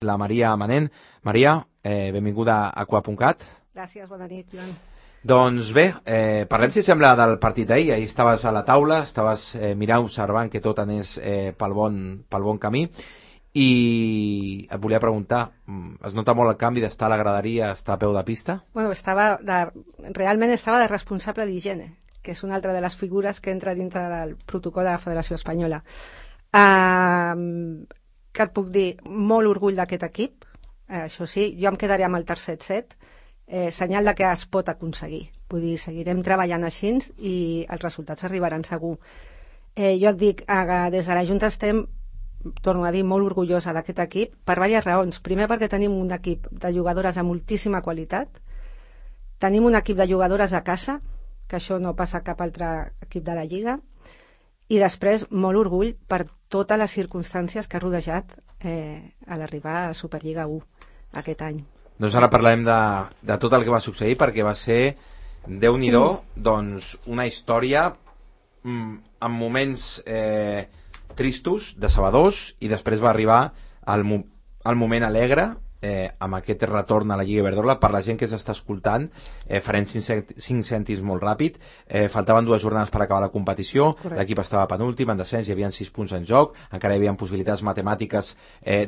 la Maria Manent. Maria, benvinguda a Aqua.cat. Gràcies, bona nit, Joan. Doncs bé, parlem, si sembla, del partit d'ahir. Ahir estaves a la taula, estaves mirant, observant que tot anés pel bon camí, i et volia preguntar, es nota molt el canvi d'estar a la graderia a estar a peu de pista? Bueno, realment estava de responsable d'higiene, que és una altra de les figures que entra dintre del protocol de la Federació Espanyola. Què et puc dir? Molt orgull d'aquest equip, això sí, jo em quedaré amb el tercer set, senyal de que es pot aconseguir. Vull dir, seguirem treballant així i els resultats arribaran segur. Jo et dic, des de la Junta estem, torno a dir, molt orgullosa d'aquest equip per diverses raons. Primer, perquè tenim un equip de jugadores de moltíssima qualitat, tenim un equip de jugadores a casa, que això no passa a cap altre equip de la Lliga, i després molt orgull per totes les circumstàncies que ha rodejat a l'arribar a Superliga 1 aquest any. Doncs ara parlem de tot el que va succeir, perquè va ser, Déu-n'hi-do, doncs una història amb moments tristos, decebedors, i després va arribar el moment alegre, amb aquest retorn a la Lliga Iberdrola. Per la gent que s'està escoltant, farem 5 cèntims molt ràpid. Faltaven 2 jornades per acabar la competició. Correcte. L'equip estava penúltim, en descens, hi havia 6 punts en joc, encara hi havia possibilitats matemàtiques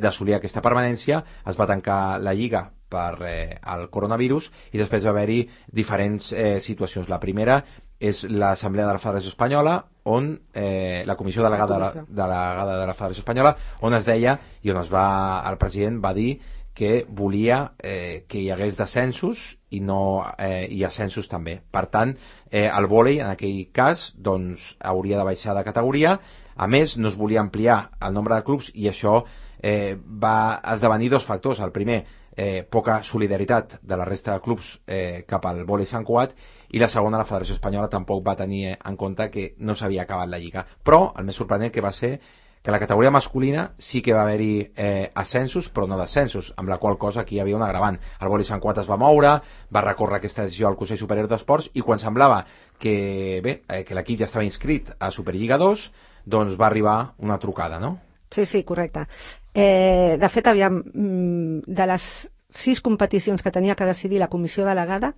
d'assolir aquesta permanència. Es va tancar la Lliga per el coronavirus, i després va haver-hi diferents situacions. La primera és l'Assemblea de la Federació Espanyola, on la Comissió Delegada de la Federació Espanyola, on es deia, i on el president va dir que volia que hi hagués descensos i ascensos també. Per tant, el vòlei, en aquell cas, doncs, hauria de baixar de categoria. A més, no es volia ampliar el nombre de clubs, i això va esdevenir 2 factors. El primer, poca solidaritat de la resta de clubs cap al vòlei Sant Cugat, i la segona, la Federació Espanyola tampoc va tenir en compte que no s'havia acabat la Lliga. Però el més sorprenent que va ser que a la categoria masculina sí que va haver-hi ascensos, però no descensos, amb la qual cosa aquí hi havia un agravant. El vòlei Sant Cugat es va moure, va recórrer aquesta decisió al Consell Superior d'Esports, i quan semblava que l'equip ja estava inscrit a Superliga 2, doncs va arribar una trucada, no? Sí, correcte. De fet, de les 6 competicions que tenia que decidir la comissió delegada,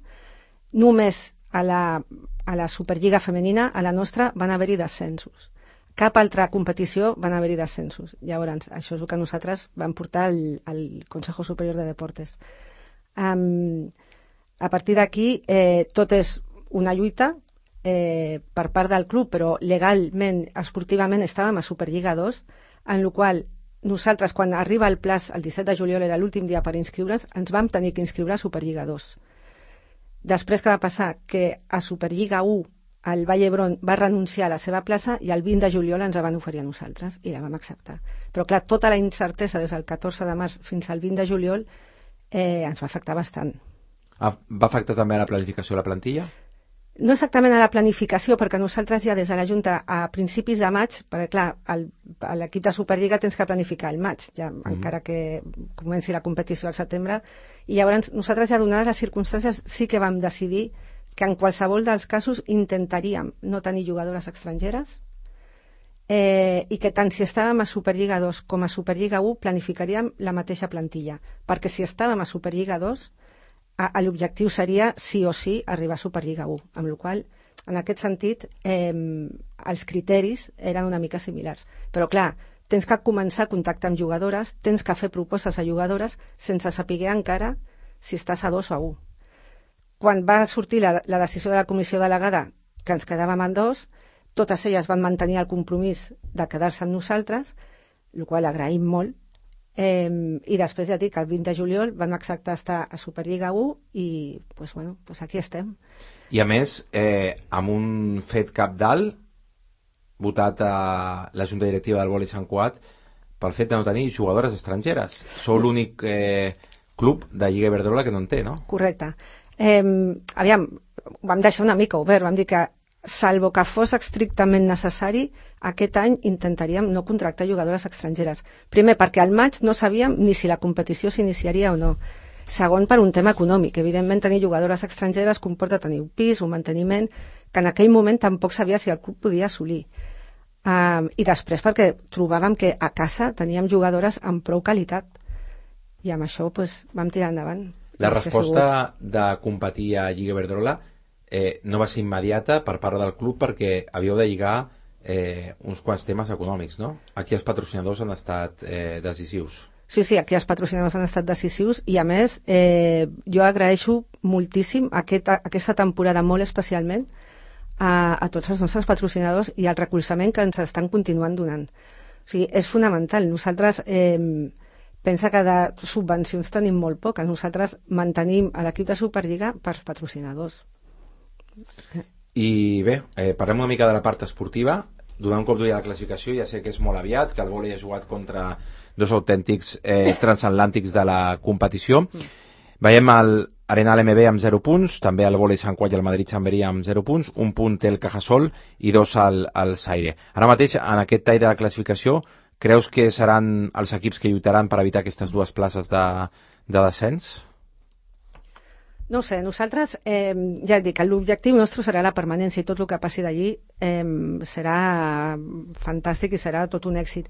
només a la Superliga femenina, a la nostra, van haver-hi descensos. Cap altra competició van haver-hi descensos. Llavors, això és el que nosaltres vam portar al Consejo Superior de Deportes. A partir d'aquí, tot és una lluita per part del club, però legalment, esportivament, estàvem a Superliga 2, en la qual nosaltres, quan arriba el plaç, el 17 de juliol, era l'últim dia per inscriure'ns, ens vam tenir que inscriure a Superliga 2. Després, què va passar? Que a Superliga 1 el Vall d'Hebron va renunciar a la seva plaça, i el 20 de juliol ens la van oferir a nosaltres, i la vam acceptar. Però clar, tota la incertesa des del 14 de març fins al 20 de juliol ens va afectar bastant. Va afectar també a la planificació de la plantilla? No exactament a la planificació, perquè nosaltres ja des de la Junta a principis de maig, perquè clar, a l'equip de Superliga tens que planificar el maig, ja, encara que comenci la competició al setembre, i llavors nosaltres, ja donades les circumstàncies, sí que vam decidir que en qualsevol dels casos intentaríem no tenir jugadores estrangeres, i que tant si estàvem a Superliga 2 com a Superliga 1 planificaríem la mateixa plantilla, perquè si estàvem a Superliga 2 l'objectiu seria sí o sí arribar a Superliga 1, amb la qual cosa, en aquest sentit, els criteris eren una mica similars. Però clar, tens que començar a contactar amb jugadores, tens que fer propostes a jugadores sense saber encara si estàs a 2 o a 1. Quan va sortir la decisió de la comissió delegada que ens quedàvem en 2, totes elles van mantenir el compromís de quedar-se amb nosaltres, el qual agraïm molt, i després ja dic, el 20 de juliol vam acceptar estar a Superliga 1 i doncs aquí estem. I a més, amb un fet cabdal votat a la Junta Directiva del Vòlei Sant Cugat pel fet de no tenir jugadores estrangeres. Sou l'únic club de Lliga Iberdrola que no en té, no? Correcte. Aviam, vam deixar una mica obert, vam dir que salvo que fos estrictament necessari, aquest any intentaríem no contractar jugadores estrangeres. Primer, perquè al maig no sabíem ni si la competició s'iniciaria o no. Segon, per un tema econòmic. Evidentment, tenir jugadores estrangeres comporta tenir un pis, un manteniment, que en aquell moment tampoc sabia si el club podia assolir. I després, perquè trobàvem que a casa teníem jugadores amb prou qualitat. i amb això vam tirar endavant. La resposta de competir a Lliga Iberdrola no va ser immediata per part del club perquè havíeu de lligar uns quants temes econòmics, no? Aquí els patrocinadors han estat decisius. Sí, aquí els patrocinadors han estat decisius i, a més, jo agraeixo moltíssim aquesta temporada molt especialment a tots els nostres patrocinadors i el recolzament que ens estan continuant donant. O sigui, és fonamental. Nosaltres, pensa que de subvencions tenim molt poques. Nosaltres mantenim l'equip de Superliga per patrocinadors. I bé, parlem una mica de la part esportiva. Donar un cop d'ull a la classificació, ja sé que és molt aviat, que el vòlei ha jugat contra dos autèntics transatlàntics de la competició. Veiem l'Arena LMB amb 0 punts, també el vòlei Sant Cugat i el Madrid Chamberí amb 0 punts, un punt té el Cajasol i 2 al Zaire. Ara mateix, en aquest tall de la classificació, creus que seran els equips que lluitaran per evitar aquestes dues places de descens? No ho sé, nosaltres, ja et dic, l'objectiu nostre serà la permanència i tot el que passi d'allí serà fantàstic i serà tot un èxit.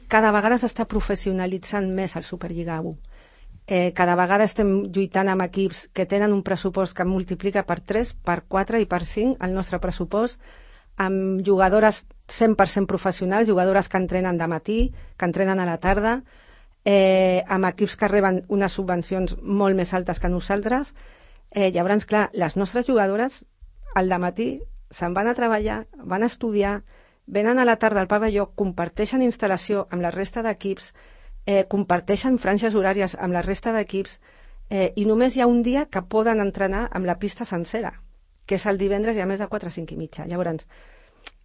Cada vegada s'està professionalitzant més el Superliga 1. Cada vegada estem lluitant amb equips que tenen un pressupost que multiplica per 3, per 4 i per 5 el nostre pressupost, amb jugadores 100% professionals, jugadores que entrenen de matí, que entrenen a la tarda, amb equips que reben unes subvencions molt més altes que nosaltres. Llavors, clar, les nostres jugadores al dematí se'n van a treballar, van a estudiar, venen a la tarda al pavelló, comparteixen instal·lació amb la resta d'equips, comparteixen franges horàries amb la resta d'equips, i només hi ha un dia que poden entrenar amb la pista sencera, que és el divendres i a més de 4 a 5 i mitja. Llavors,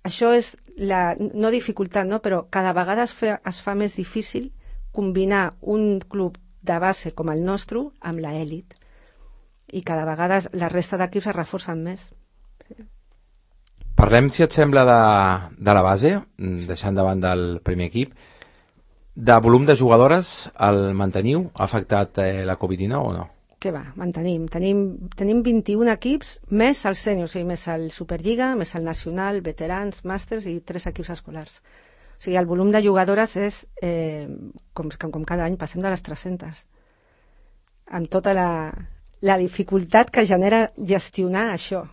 això és no dificultat, no? Però cada vegada es fa més difícil combinar un club de base com el nostre amb l'elit, i cada vegada la resta d'equips es reforcen més. Parlem, si et sembla, de la base, deixant davant del primer equip. De volum de jugadores, el manteniu? Ha afectat la Covid-19 o no? Què va, mantenim. Tenim 21 equips, més el sènior, o sigui, més el Superliga, més el Nacional, veterans, màsters i 3 equips escolars. O sigui, el volum de jugadores és, com cada any, passem de les 300. Amb tota la dificultat que genera gestionar això,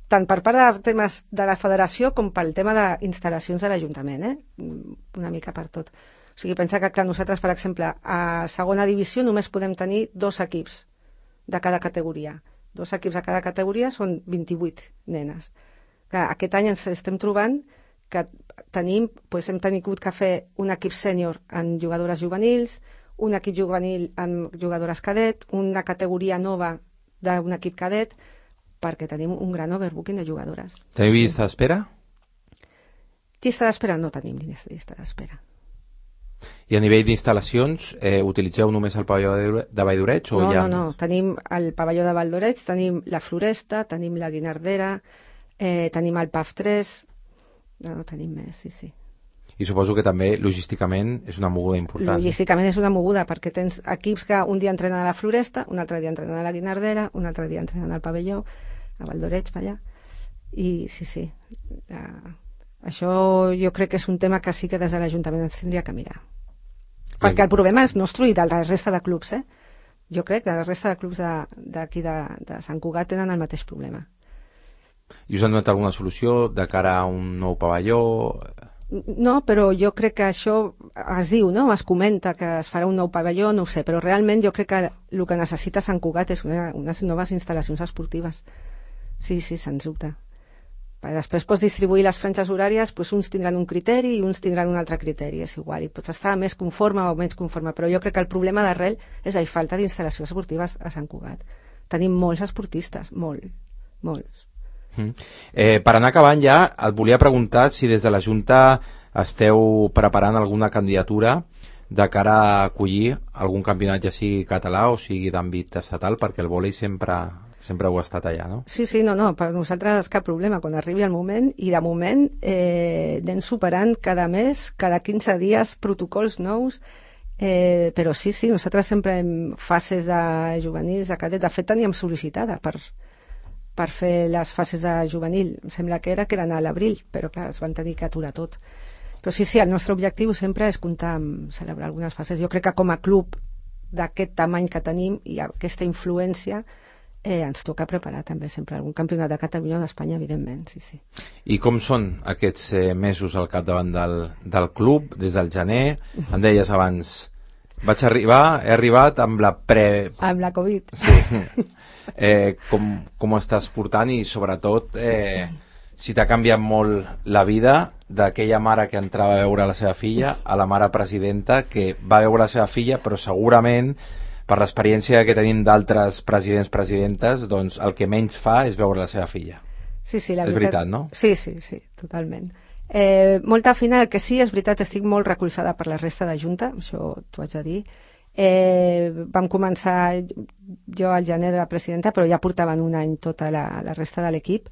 tant per part de temes de la federació com pel tema d'instal·lacions de l'Ajuntament, una mica per tot. O sigui, pensa que, clar, nosaltres, per exemple, a segona divisió només podem tenir 2 equips de cada categoria. 2 equips de cada categoria són 28 nenes. Clar, aquest any ens estem trobant que hem tingut que fer un equip sènior en jugadores juvenils, un equip juvenil amb jugadores cadet, una categoria nova d'un equip cadet, perquè tenim un gran overbooking de jugadores. Teniu llista d'espera? Llista d'espera no tenim llista d'espera. I a nivell d'instal·lacions, utilitzeu només el pavelló de Vall-d'Oreig? No. Tenim el pavelló de Vall-d'Oreig, tenim la Floresta, tenim la Guinardera, tenim el PAF 3... No tenim més, sí. I suposo que també, logísticament, és una moguda important. Logísticament és una moguda, perquè tens equips que un dia entrenen a la Floresta, un altre dia entrenen a la Guinardera, un altre dia entrenen al pavelló, a Vall-d'Oreig, allà. I sí. Això jo crec que és un tema que sí que des de l'Ajuntament ens tindria que mirar. Perquè el problema és nostre i de la resta de clubs, Jo crec que la resta de clubs d'aquí de Sant Cugat tenen el mateix problema. I us han donat alguna solució de cara a un nou pavelló? No, però jo crec que això es diu, no? Es comenta que es farà un nou pavelló, no ho sé, però realment jo crec que el que necessita Sant Cugat és unes noves instal·lacions esportives. Sí, sens dubte. Després pots distribuir les franges horàries, uns tindran un criteri i uns tindran un altre criteri, és igual, i pots estar més conforme o menys conforme, però jo crec que el problema d'arrel és la falta d'instal·lacions esportives a Sant Cugat. Tenim molts esportistes, molts. Per anar acabant ja, et volia preguntar si des de la Junta esteu preparant alguna candidatura de cara a acollir algun campionat, ja sigui català o sigui d'àmbit estatal, perquè el vòlei sempre ho ha estat allà, no? Sí, no, per nosaltres cap problema, quan arribi el moment, i de moment anem superant cada mes, cada 15 dies, protocols nous, però sí, nosaltres sempre hem fases de juvenils, de cadet, de fet teníem sol·licitada per fer les fases de juvenil, em sembla que eren a l'abril, però clar, es van tenir que aturar tot. Però sí, el nostre objectiu sempre és comptar amb celebrar algunes fases. Jo crec que com a club d'aquest tamany que tenim i aquesta influència, ens toca preparar també sempre algun campionat de Catalunya o d'Espanya, evidentment, sí, sí. I com són aquests mesos al capdavant del club, des del gener? Em deies abans, he arribat amb la Amb la Covid. Sí. Com ho estàs portant i sobretot si t'ha canviat molt la vida d'aquella mare que entrava a veure la seva filla a la mare presidenta que va veure la seva filla, però segurament per l'experiència que tenim d'altres presidents-presidentes, doncs el que menys fa és veure la seva filla. Sí, sí, la veritat, no? Sí, totalment. Molta feina, el que sí, és veritat, estic molt recolzada per la resta de Junta, això t'ho haig de dir. Vam començar jo al gener de la presidenta, però ja portaven un any tota la resta de l'equip.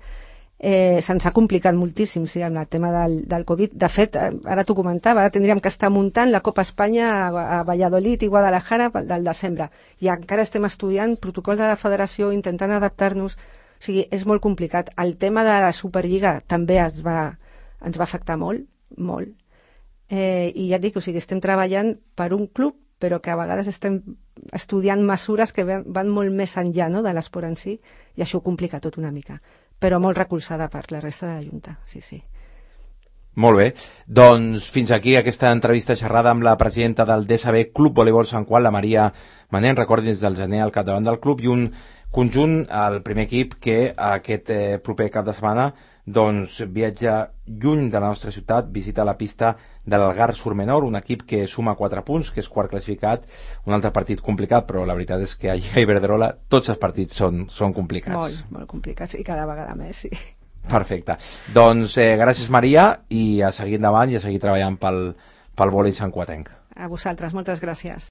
Se'ns ha complicat moltíssim, sí, amb el tema del Covid. De fet, ara t'ho comentava, tindríem que estar muntant la Copa Espanya a Valladolid i Guadalajara del desembre, i encara estem estudiant protocol de la federació, intentant adaptar-nos. O sigui, és molt complicat. El tema de la Superliga també ens va afectar molt, molt. I ja et dic, o sigui, estem treballant per un club, però que a vegades estem estudiant mesures que van molt més enllà, no?, de l'esport en si, i això ho complica tot una mica. Però molt recolzada per la resta de la Junta, sí, sí. Molt bé, doncs fins aquí aquesta entrevista xerrada amb la presidenta del DSB Club Voleibol Sant Qual, la Maria Manent. Recordin, des del gener al capdavant del club, i un conjunt, el primer equip, que aquest proper cap de setmana doncs viatja lluny de la nostra ciutat, visita la pista de l'Algar Surmenor, un equip que suma 4 punts, que és quart classificat, un altre partit complicat, però la veritat és que a Iberdrola tots els partits són complicats. Molt, molt complicats, i cada vegada més, sí. Perfecte. Doncs gràcies, Maria, i a seguir endavant i a seguir treballant pel vòlei santcuatenc. A vosaltres, moltes gràcies.